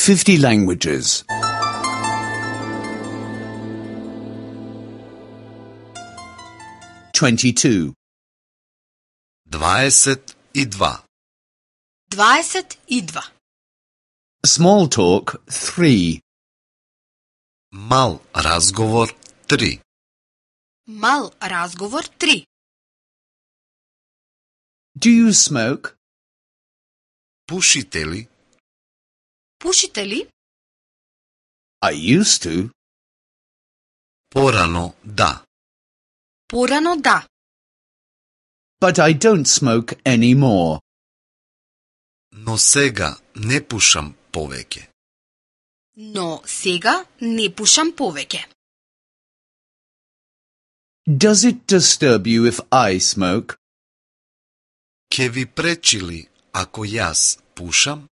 50 languages. 22. 22. 22. Small talk 3. Mal razgovor 3. Mal razgovor 3. Do you smoke? Pušite li? Pušite li? I used to. Porano da. Porano da. But I don't smoke anymore. No sega ne pušam poveke. No сега не пушам повеќе. Does it disturb you if I smoke? Ке ви пречи ли ако јас пушам?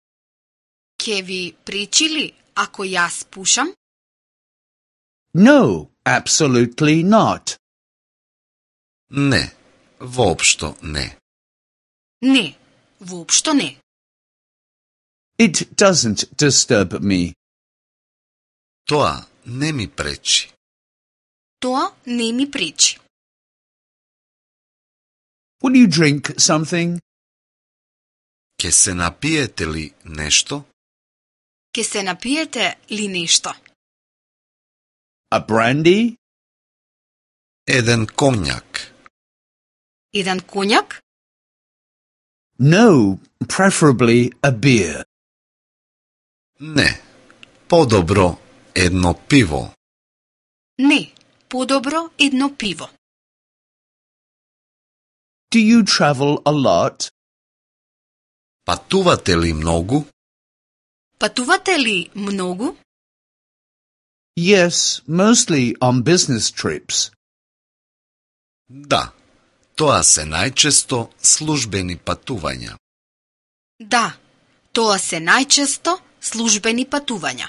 Ке ви пречи ли ако јас пушам? No, absolutely not. Не, воопшто не. Не, воопшто не. It doesn't disturb me. Тоа не ми пречи. Тоа не ми пречи. Will you drink something? Ке се напиете ли нешто? Ке се напиете ли нешто? A brandy? Еден конјак. Еден коњак? No, preferably a beer. Не, подобро едно пиво. Не, подобро едно пиво. Do you travel a lot? Патувате ли многу? Патувате ли многу? Yes, mostly on business trips. Да, тоа се најчесто службени патувања. Да, тоа се најчесто службени патувања.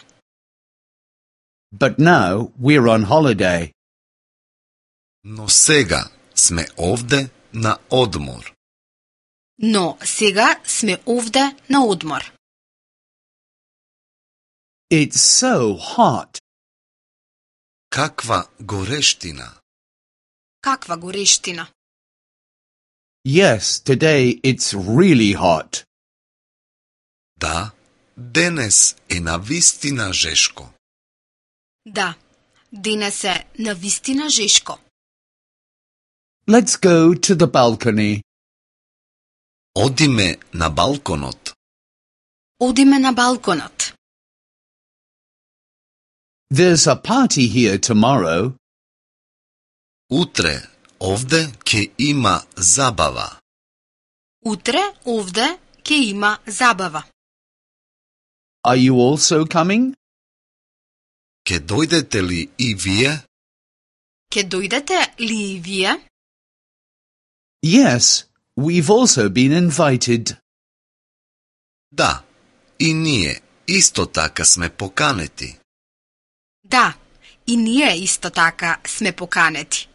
But now we're on holiday. Но сега сме овде на одмор. Но сега сме овде на одмор. It's so hot. Каква горештина! Каква горештина! Yes, today it's really hot. Да, денес е навистина жешко. Да, денес е навистина жешко. Let's go to the balcony. Одиме на балконот. Одиме на балконот. There's a party here tomorrow. Утре овде ќе има забава. Утре овде ќе има забава. Are you also coming? Ке дојдете ли и вие? Ке дојдете ли и вие? Yes, we've also been invited. Да, и ние исто така сме поканети. Да, и ние исто така сме поканети.